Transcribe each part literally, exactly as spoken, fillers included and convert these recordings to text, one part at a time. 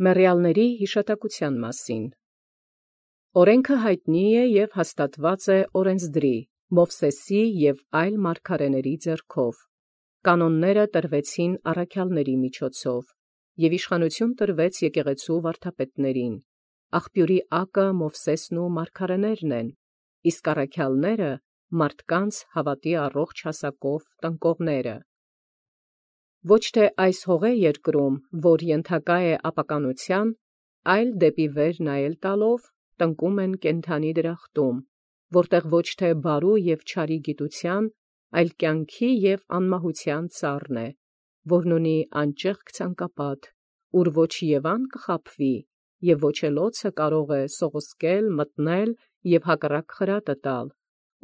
Մեռյալների հիշատակության մասին։ Օրենքը հայտնի է և հաստատված է օրենսդրի, Մովսեսի և այլ մարգարեների ձեռքով։ Կանոնները տրվեցին առաքյալների միջոցով, և իշխանություն տրվեց եկեղեցու վարդապետներին։ Աղբյուրի ակը Մովսեսն ու մարգարեներն են, իսկ առաքյալները մարդկանց հավատի առողջ հասակով տնկողները։ Ոչ թե այս հողե երկրում, որ ենթակա է ապականության, այլ դեպի վեր նայել տալով տնկում են կենդանի դրախտում, որտեղ ոչ թե բարու և չարի գիտության, այլ կյանքի և անմահության ծառն է, որն ունի անճեղք ցանկապատ, ուր ոչ Եվան կխաբվի, և ոչ էլ օձը կարող է սողոսկել, մտնել և հակառակ խրատը տալ,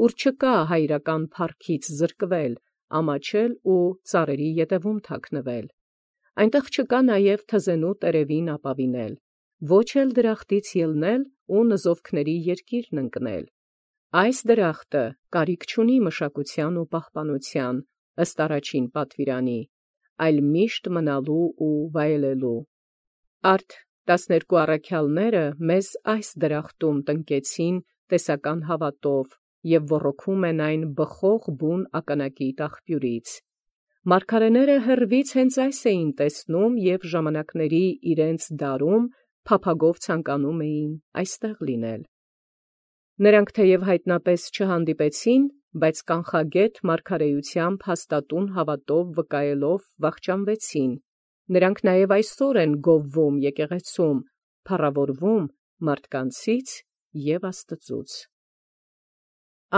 ուր չկա հայրական փառքից զրկվել, ամաչել ու ծառերի ետևում թաքնվել։ Այնտեղ չկա նաև թզենու տերևին ապավինել, ոչ էլ դրախտից ելնել ու նզովքների երկիրն ընկնել։ Այս դրախտը կարիք չունի մշակության ու պահպանության, ըստ առաջին պատվիրանի, այլ միշտ մնալու ու վայելելու։ Արդ տասներկու առաքյալները մեզ այս դրախտում տնկեցին տեսական հավատով և ոռոգում են այն բխող բուն ակնակիտ աղբյուրից։ Մարգարեները հեռվից հենց այս էին տեսնում և ժամանակների իրենց դարում փափագով ցանկանում էին այստեղ լինել։ Նրանք թեև հայտնապես չհանդիպեցին, բայց կանխագեթ մարգարեությամբ հաստատուն հավատով վկայելով վախճանվեցին։ Նրանք նաև այսօր են գովվում եկեղեցում, փառավորվում մարդկանցից և Աստծուց։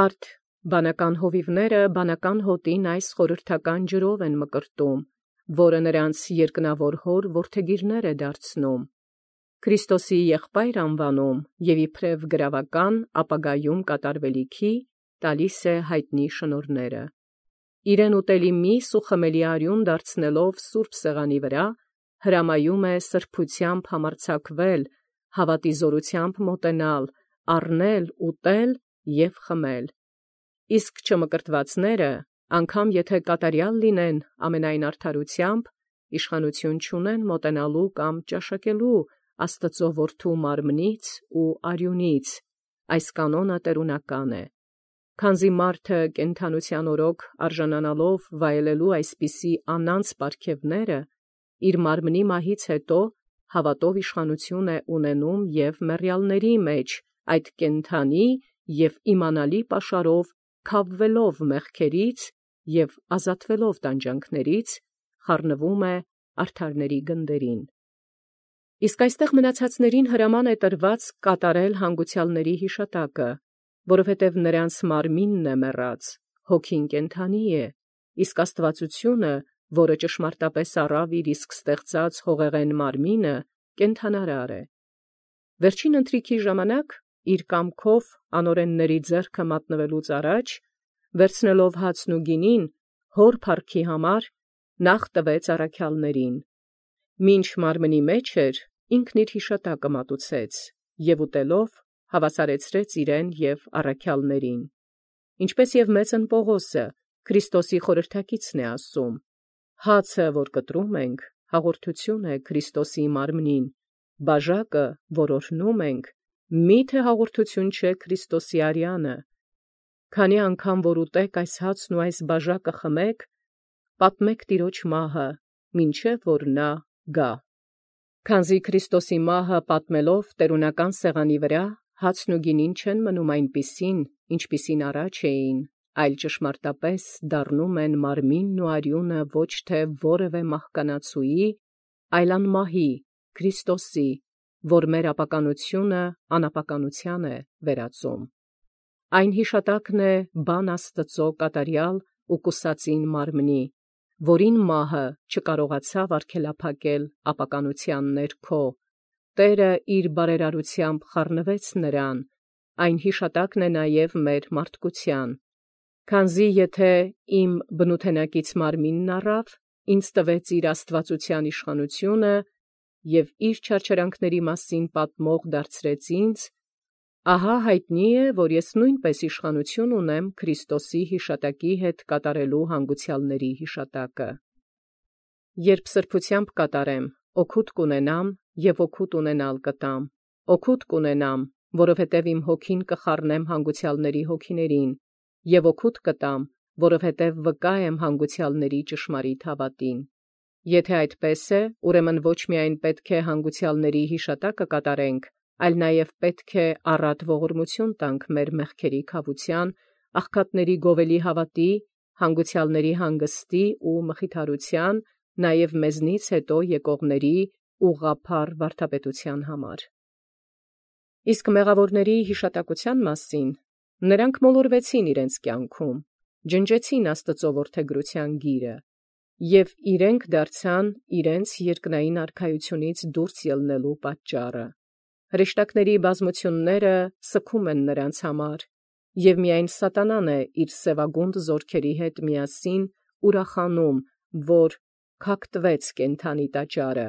Արդ բանական հովիվները բանական հոտին այս խորհրդական ջրով են մկրտում, որը նրանց երկնավոր հոր որդեգիրներ է դարձնում, Քրիստոսի եղբայր անվանում և իբրև գրավական ապագայում կատարվելիքի տալիս է հայտնի շնորհները։ Իրեն ուտելի միս ու խմելի արյուն դարձնելով սուրբ սեղանի վրա, հրամայում է սրբությամբ համարձակվել, հավատի զորությամբ մոտենալ, առնել, ուտել և խմել։ Իսկ չմկրտվածները, անգամ եթե կատարյալ լինեն ամենայն արդարությամբ, իշխանություն չունեն մոտենալու կամ ճաշակելու Աստծու որդու մարմնից ու արյունից, այս կանոնը տերունական է։ Քանզի մարդը կենդանության օրոք արժանանալով վայելելու այսպիսի անանց պարգևները, իր մարմնի մահից հետո հավատով իշխանություն է ունենում և մեռյալների մեջ այդ կենդանի և իմանալի պաշարով քավվելով մեղքերից և ազատվելով տանջանքներից, խառնվում է արդարների գնդերին։ Իսկ այստեղ մնացածներին հրաման է տրված կատարել հանգուցյալների հիշատակը, որովհետև նրանց մարմինն է մեռած, հոգին կենդանի է, իսկ աստվածությունը, որը ճշմարտապես առավ իր իսկ ստեղծած հողեղեն մարմինը, կենդանարար է։ Վերջին ընթրիքի ժամանակ, իր կամքով անօրենների ձեռքը մատնվելուց առաջ, վերցնելով հացն ու գինին, հոր փառքի համար նախ տվեց առաքյալներին։ Մինչ մարմնի մեջ էր, ինքն իր հիշատակը մատուցեց և ուտելով հավասարեցրեց իրեն և առաքյալներին։ Ինչպես և մեծն Պողոսը, Քրիստոսի խորհրդակիցն է ասում. «Հացը, որ կտրում ենք, հաղորդություն է Քրիստոսի մարմնին, բաժակը, որ օրհնում ենք, մի՞թե հաղորդություն չէ Քրիստոսի արյանը։ Քանի անգամ որ ուտեք այս հացն ու այս բաժակը խմեք, պատմեք Տիրոջ մահը, մինչև որ նա գա։ Քանզի Քրիստոսի մահը պատմելով տերունական սեղանի վրա, հացն ու գինին չեն մնում այնպիսին, ինչպիսին առաջ էին, այլ ճշմարտապես դառնում են մարմինն ու արյունը ոչ թե որևէ մահկանացուի, այլ անմահի, Քրիստոսի, որ մեր ապականությունը անապականության է վերածում։ Այն հիշատակն է բան Աստծու կատարյալ ու կուսածին մարմնի, որին մահը չկարողացավ արգելափակել ապականության ներքո, Տէրը իր բարերարությամբ խառնվեց նրան, այն հիշատակն է նաև մեր մարդկության։ Քանզի եթե իմ բնութենակից մարմինն առավ, ինձ տվեց իր աստվածության իշխանությունը և իր չարչարանքների մասին պատմող դարձրեց ինձ, ահա հայտնի է, որ ես նույնպես իշխանություն ունեմ Քրիստոսի հիշատակի հետ կատարելու հանգուցյալների հիշատակը։ Երբ սրբությամբ կատարեմ, օգուտ կունենամ և օգուտ ունենալ կտամ, օգուտ կունենամ, որովհետև իմ հոգին կխառնեմ հանգուցյալների հոգիներին, և օգուտ կտամ, որովհետև վկա եմ հանգուցյալների ճշմարիտ հավատին։ Եթե այդպես է, ուրեմն ոչ միայն պետք է հանգուցյալների հիշատակը կատարենք, այլ նաև պետք է առատ ողորմություն տանք մեր մեղքերի քավության, աղքատների գովելի հավատի, հանգուցյալների հանգստի ու մխիթարության, նաև մեզնից հետո եկողների ուղղափառ վարդապետության համար։ Իսկ մեղավորների հիշատակության մասին նրանք մոլորվեցին իրենց կյանքում, ջնջեցին Աստծո որդեգրության գիրը, և իրենք դարձան իրենց երկնային արքայությունից դուրս ելնելու պատճառը։ Հրեշտակների բազմությունները սգում են նրանց համար, և միայն սատանան է իր սևագունդ զորքերի հետ միասին ուրախանում, որ քակտվեց կենդանի տաճարը,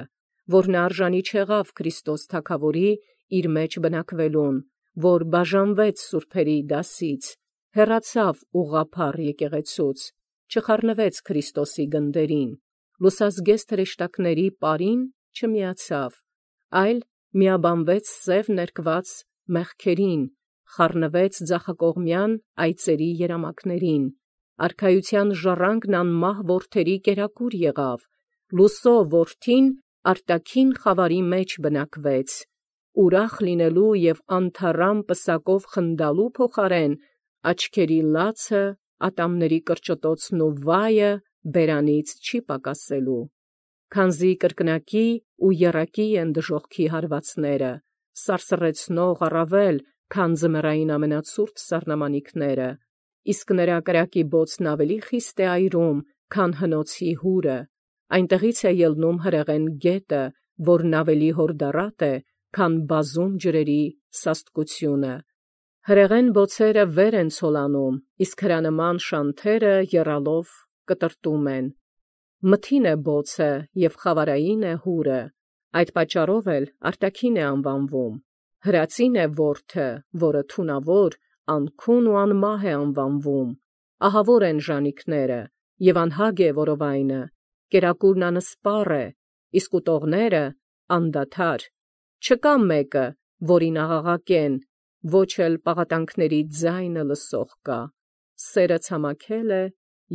որ նա արժանի չեղավ Քրիստոս թագավորի իր մեջ բնակվելուն, որ բաժանվեց սուրբերի դասից, հեռացավ ուղղափառ եկեղեցուց, չխառնվեց Քրիստոսի գնդերին, լուսազգեստ հրեշտակների պարին չմիացավ, այլ միաբանվեց սև ներկված մեղքերին, խառնվեց ձախակողմյան այծերի երամակներին, արքայության ժառանգն անմահ որդերի կերակուր եղավ, լուսո որդին արտաքին խավարի մեջ բնակվեց, ուրախ լինելու և անթառամ պսակով խնդալու փոխարեն աչքերի լացը, ատամների կրճտոցն ու վայը բերանից չի պակասելու, քանզի կրկնակի ու եռակի են դժոխքի հարվածները, սարսռեցնող առավել, քան ձմեռային ամենացուրտ սառնամանիքները, իսկ նրա կրակի բոցն ավելի խիստ է այրում, քան հնոցի հուրը, այնտեղից է ելնում հրեղեն գետը, որն ավելի հորդառատ է, քան բազում ջրերի սաստկությունը։ Հրեղեն բոցերը վեր են ցոլանում, իսկ հրանման շանթերը եռալով կտրտում են։ Մթին է բոցը և խավարային է հուրը, այդ պատճառով էլ արտաքին է անվանվում։ Հրածին է որդը, որը թունավոր, անքուն ու անմահ է անվանվում։ Ահավոր են ժանիքները, և անհագ է որովայնը, կերակուրն անսպառ է, իսկ ուտողները անդադար։ Չկա մեկը, որին աղաղակեն, ոչ էլ պաղատանքների ձայնը լսող կա։ Սերը ցամաքել է,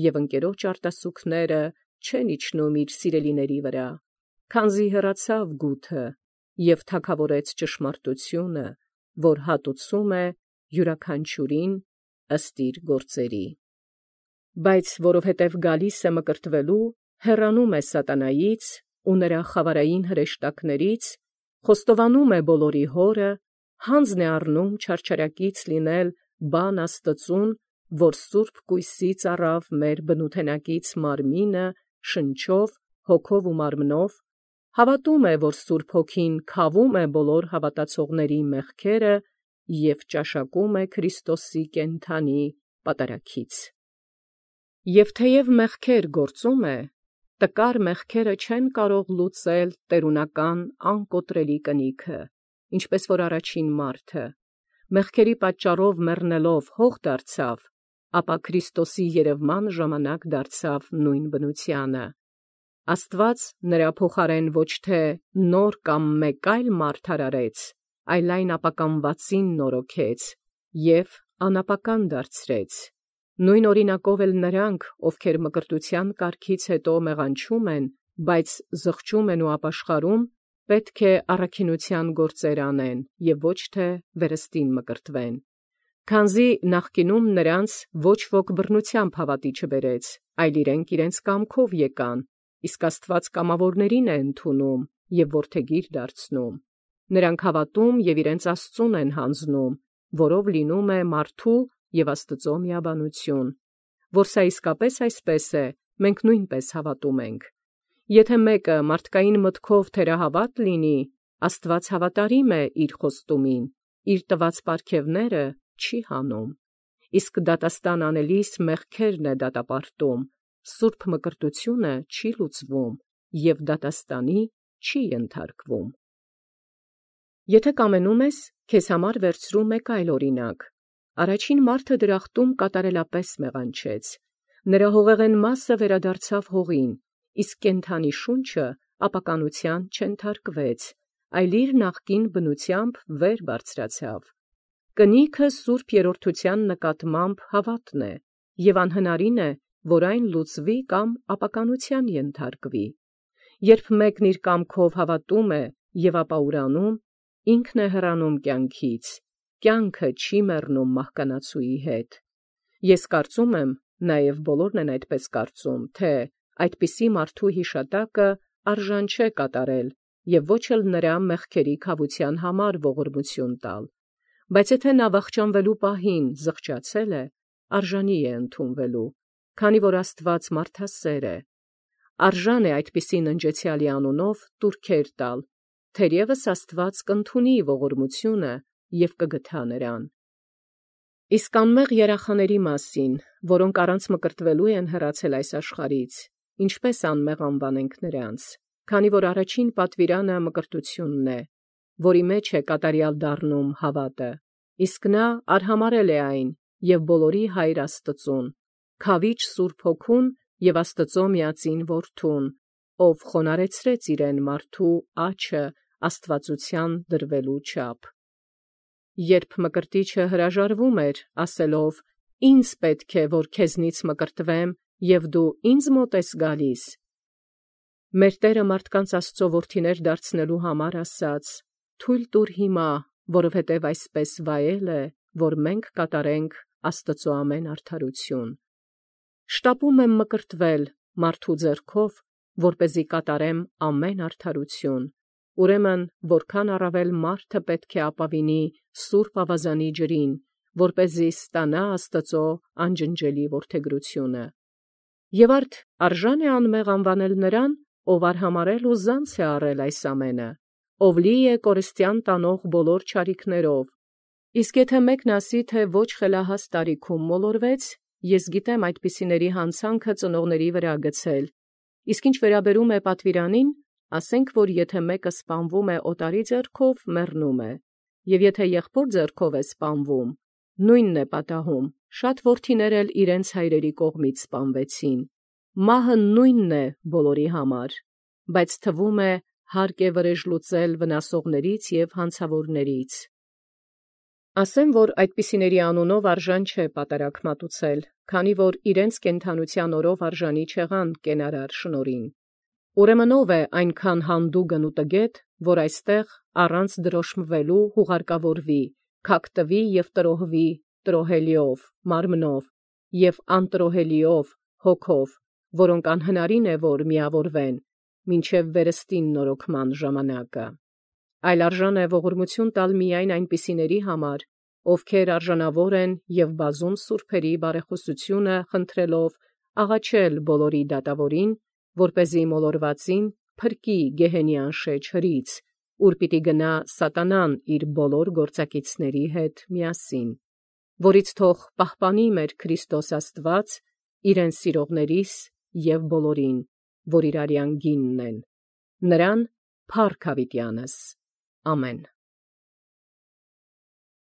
և ընկերոջ արտասուքները չեն իջնում իր սիրելիների վրա, քանզի հեռացավ գութը և թագավորեց ճշմարտությունը, որ հատուցում է յուրաքանչյուրին ըստ իր գործերի։ Բայց որովհետև գալիս է մկրտվելու, հեռանում է սատանայից ու նրա խավարային հրեշտակներից, խոստովանում է բոլորի հորը, հանձն է առնում չարչարակից լինել բան Աստծուն, որ սուրբ կույսից առավ մեր բնութենակից մարմինը շնչով, հոգով ու մարմնով, հավատում է, որ Սուրբ Հոգին քավում է բոլոր հավատացողների մեղքերը և ճաշակում է Քրիստոսի կենդանի պատարագից։ Եվ թեև մեղքեր գործում է, տկար մեղքերը չեն կարող լուծել տերունական անկոտրելի կնիքը, ինչպես որ առաջին մարդը, մեղքերի պատճառով մեռնելով հող դարձավ, ապա Քրիստոսի երևման ժամանակ դարձավ նույն բնությանը։ Աստված նրա փոխարեն ոչ թե նոր կամ մեկ այլ մարդ արարեց, այլ այն ապականվածին նորոգեց և անապական դարձրեց։ Նույն օրինակով էլ նրանք, ովքեր մկրտության կարգից հետո մեղանչում են, բայց զղջում են ու ապաշխարում, պետք է առաքինության գործեր անեն և ոչ թե վերստին մկրտվեն։ Քանզի նախկինում նրանց ոչ ոք բռնությամբ հավատի չբերեց, այլ իրենք իրենց կամքով եկան, իսկ Աստված կամավորներին է ընդունում և որդեգիր դարձնում։ Նրանք հավատում և իրենց Աստծուն են հանձնում, որով լինում է մարդու և Աստծո միաբանություն։ Որ սա իսկապես այսպես է, մենք նույնպես հավատում ենք։ Եթե մեկը մարդկային մտքով թերահավատ լինի, Աստված հավատարիմ է իր խոստումին, իր տված պարգևները չի հանում։ Իսկ դատաստան անելիս մեղքերն է դատապարտում, սուրբ մկրտությունը չի լուծվում և դատաստանի չի ենթարկվում։ Եթե կամենում ես, քեզ համար վերցրու մեկ այլ օրինակ։ Առաջին մարդը դրախտում կատարելապես մեղանչեց։ Նրա հողեղեն մասը վերադարձավ հողին, իսկ կենդանի շունչը ապականության չենթարկվեց, այլ իր նախկին բնութեամբ վեր բարձրացավ։ Կնիքը սուրբ երրորդութեան նկատմամբ հավատն է, եւ անհնարին է, որ այն լուծվի կամ ապականութեան ենթարկվի։ Երբ մեկն իր կամքով հավատում է եւ ապա ուրանում, ինքն է հեռանում կյանքից, կյանքը չի մեռնում մահկանացուի հետ։ Ես կարծում եմ, նաեւ բոլորն են այդպես կարծում, թե այդպիսի մարդու հիշատակը արժան չէ կատարել եւ ոչ էլ նրա մեղքերի քավության համար ողորմություն տալ, բայց եթե նա վախճանվելու պահին զղջացել է, արժանի է ընդունվելու, քանի որ Աստված մարդասեր է, արժան է այդպիսի ննջեցյալի անունով տուրքեր տալ, թերևս Աստված կընդունի ողորմությունը եւ կգթա նրան։ Իսկ անմեղ երախաների մասին, որոնք առանց մկրտվելու են հեռացել այս աշխարհից, ինչպես անմեղ անվանենք նրանց, քանի որ առաջին պատվիրանը մկրտությունն է, որի մեջ է կատարյալ դառնում հավատը, իսկ նա արհամարել է այն եւ բոլորի Հայր Աստծուն, քավիճ Սուրբ Հոգուն եւ Աստծո միածին Որդուն, ով խոնարհեցրեց իրեն մարդու աչը աստվածության դրվելու չափ։ Երբ մկրտիչը հրաժարվում էր, ասելով. «Ինձ պետք է, որ քեզնից մկրտվեմ, եւ դու ինձ մոտ ես գալիս», մեր Տերը մարդկանց Աստծո որդիներ դարձնելու համար ասաց. «Թույլ տուր հիմա, որովհետև այսպես վայել է, որ մենք կատարենք Աստծո ամեն արդարություն»։ Շտապում եմ մկրտվել մարդու ձեռքով, որպեսզի կատարեմ ամեն արդարություն։ Ուրեմն որքան առավել մարդը պետք է ապավինի սուրբ ավազանի ջրին, որպեսզի ստանա Աստծո անջնջելի որդեգրությունը։ Եվ արդ արժան է անմեղ անվանել նրան, ով արհամարել ու զանց է առել այս ամենը, ով լի է կորստյան տանող բոլոր չարիքներով։ Իսկ եթե մեկն ասի, թե ոչ խելահաս տարիքում մոլորվեց, ես գիտեմ այդպիսիների հանցանքը ծնողների վրա գցել։ Իսկ ինչ վերաբերում է պատվիրանին, ասենք, որ եթե մեկը սպանվում է օտարի ձեռքով, մեռնում է, եւ եթե եղբոր ձեռքով է սպանվում, նույնն է պատահում, շատ որդիներ էլ իրենց հայրերի կողմից սպանվեցին։ Մահը նույնն է բոլորի համար, բայց թվում է հարկ է վրեժ լուծել վնասողներից եւ հանցավորներից։ Ասեմ, որ այդպիսիների անունով արժան չէ պատարագ մատուցել, քանի որ իրենց կենդանության օրով արժանի չեղան կենարար շնորհին։ Ուրեմն ով է այնքան հանդուգն ու տգետ, որ այստեղ առանց դրոշմվելու հուղարկավորվի, քակտվի եւ տրոհվի տրոհելիով, մարմնով եւ անտրոհելիով, հոգով, որոնք անհնարին է, որ միավորվեն, մինչև վերստին նորոգման ժամանակը։ Այլ արժան է ողորմություն տալ միայն այնպիսիների համար, ովքեր արժանավոր են եւ բազում սուրբերի բարեխոսությունը խնդրելով աղաչել բոլորի դատավորին, որպեսզի մոլորվածին փրկի գեհենյան շեջ հրից, ուր պիտի գնա սատանան իր բոլոր գործակիցների հետ միասին, որից թող պահպանի մեր Քրիստոս Աստված իրեն սիրողներիս եւ բոլորին, որ իր արյան գինն են։ Նրան փառք հավիտյանս։ Ամեն։